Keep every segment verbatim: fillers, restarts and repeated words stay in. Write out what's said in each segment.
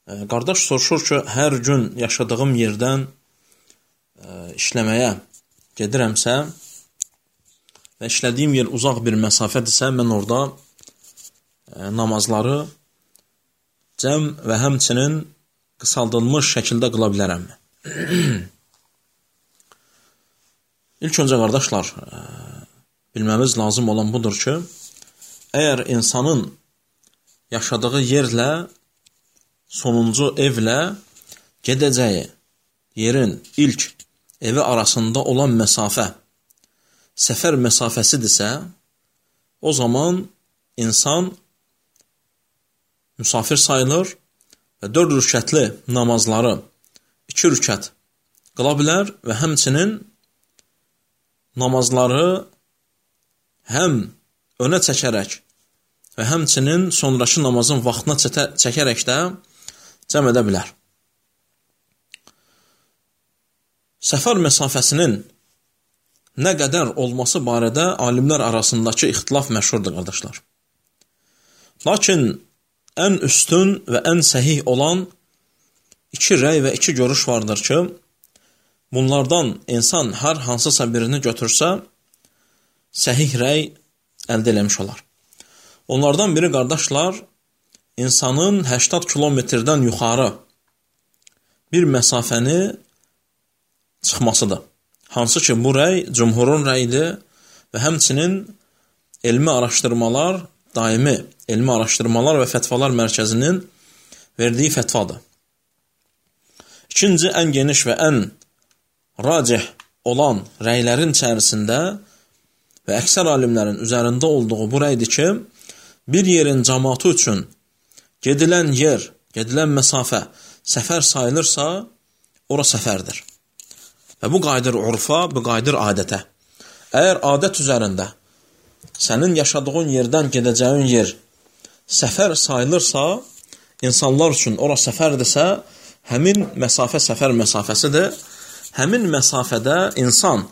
Qardaş soruşur ki, hər gün yaşadığım yerdən işləməyə gedirəmsə və işlədiyim yer uzaq bir məsafədirsə, mən orada namazları cəm və həmçinin qısaldılmış şəkildə qıla bilərəmmi? İlk öncə, qardaşlar, bilməmiz lazım olan budur ki, əgər insanın yaşadığı yerlə, sonuncu evlə gedəcəyi yerin ilk evi arasında olan məsafə səfər məsafəsidirsə, o zaman insan müsafir sayılır və dörd rükətli namazları iki rükət qıla bilər və həmçinin namazları həm önə çəkərək və həmçinin sonraki namazın vaxtına çəkərək də cəm edə bilər. Səfər məsafəsinin nə qədər olması barədə alimlər arasındakı ixtilaf məşhurdur, qardaşlar. Lakin ən üstün və ən səhih olan iki rəy və iki görüş vardır ki, bunlardan insan hər hansısa birini götürsə, səhih rəy əldə eləmiş olar. Onlardan biri, qardaşlar, insanın səksən kilometrdən yuxarı bir məsafəni çıxmasıdır. Hansı ki, bu rəy cümhurun rəyidir və həmçinin elmi araşdırmalar, daimi elmi araşdırmalar və fətvalar mərkəzinin verdiyi fətvadır. İkinci, ən geniş və ən racih olan rəylərin içərisində və əksər alimlərin üzərində olduğu bu rəydir ki, bir yerin cəmaatı üçün gedilən yer, gedilən məsafə səfər sayılırsa, ora səfərdir. Və bu qayıdır urfa, bu qayıdır adətə. Əgər adət üzərində sənin yaşadığın yerdən gedəcəyin yer səfər sayılırsa, insanlar üçün ora səfərdirsə, həmin məsafə səfər məsafəsidir. Həmin məsafədə insan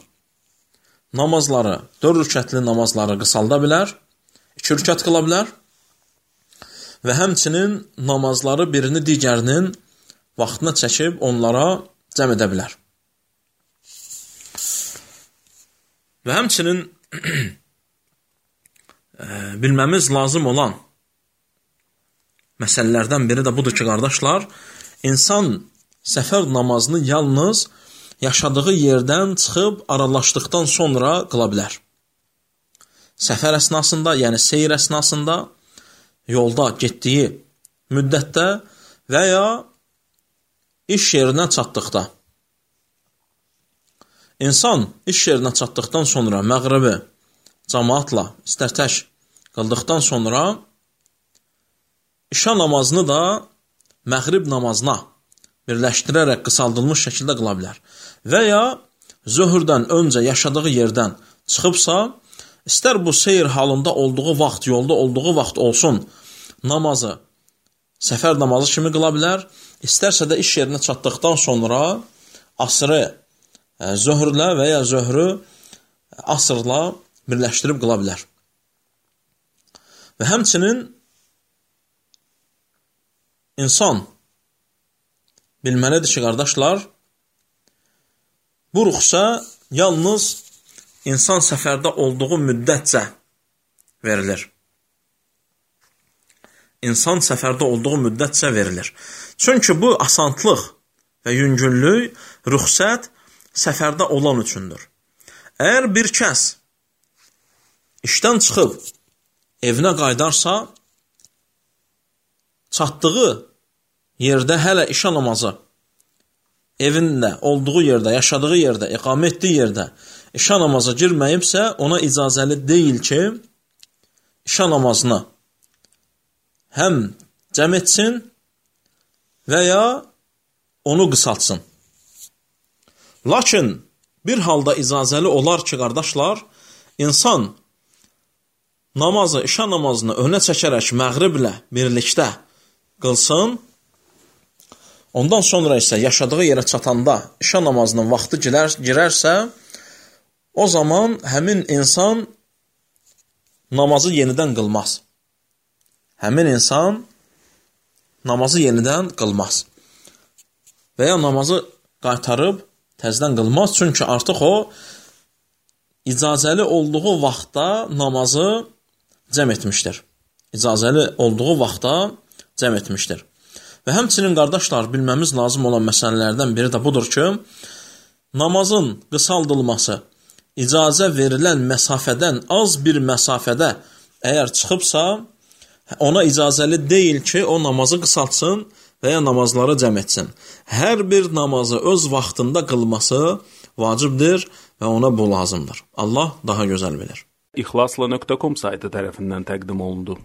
namazları, dörd rükətli namazları qısalda bilər, iki rükət qıla bilər və həmçinin namazları birini digərinin vaxtına çəkib onlara cəm edə bilər. Və həmçinin bilməmiz lazım olan məsələlərdən biri də budur ki, qardaşlar, insan səfər namazını yalnız yaşadığı yerdən çıxıb aralaşdıqdan sonra qıla bilər. Səfər əsnasında, yəni seyir əsnasında, yolda getdiyi müddətdə və ya iş yerinə çatdıqda. İnsan iş yerinə çatdıqdan sonra məğribi cəmaatla istər tək qıldıqdan sonra işa namazını da məğrib namazına birləşdirərək qısaldılmış şəkildə qıla bilər. Və ya zöhrdən öncə yaşadığı yerdən çıxıbsa, istər bu seyir halında olduğu vaxt, yolda olduğu vaxt olsun, namazı səfər namazı kimi qıla bilər, istərsə də iş yerinə çatdıqdan sonra asrı zöhrlə və ya zöhrü asrla birləşdirib qıla bilər. Və həmçinin insan bilməlidir ki, qardaşlar, bu ruxsa yalnız insan səfərdə olduğu müddətcə verilir. İnsan səfərdə olduğu müddətcə verilir. Çünki bu asantlıq və yüngünlük, rüxsət səfərdə olan üçündür. Əgər bir kəs işdən çıxıb evinə qaydarsa, çatdığı yerdə hələ işə namazı, evində, olduğu yerdə, yaşadığı yerdə, iqamə etdiyi yerdə işə namazı girməyibsə, ona icazəli deyil ki, işə namazını həm cəm etsin və ya onu qısaltsın. Lakin bir halda icazəli olar ki, qardaşlar, insan namazı, işə namazını önə çəkərək məğriblə birlikdə qılsın, ondan sonra isə yaşadığı yerə çatanda işə namazının vaxtı girər, girərsə, o zaman həmin insan namazı yenidən qılmaz. Həmin insan namazı yenidən qılmaz. Və ya namazı qaytarıb təzədən qılmaz, çünki artıq o icazəli olduğu vaxtda namazı cəm etmişdir. İcazəli olduğu vaxtda cəm etmişdir. Və həmçinin qardaşlar, bilməmiz lazım olan məsələlərdən biri də budur ki, namazın qısaldılması icazə verilən məsafədən az bir məsafədə əgər çıxıbsa, ona icazəli deyil ki, o namazı qısaltsın və ya namazları cəm etsin. Hər bir namazı öz vaxtında qılması vacibdir və ona bu lazımdır. Allah daha gözəl bilir. İxlasla nöqtə com saytı tərəfindən təqdim olundu.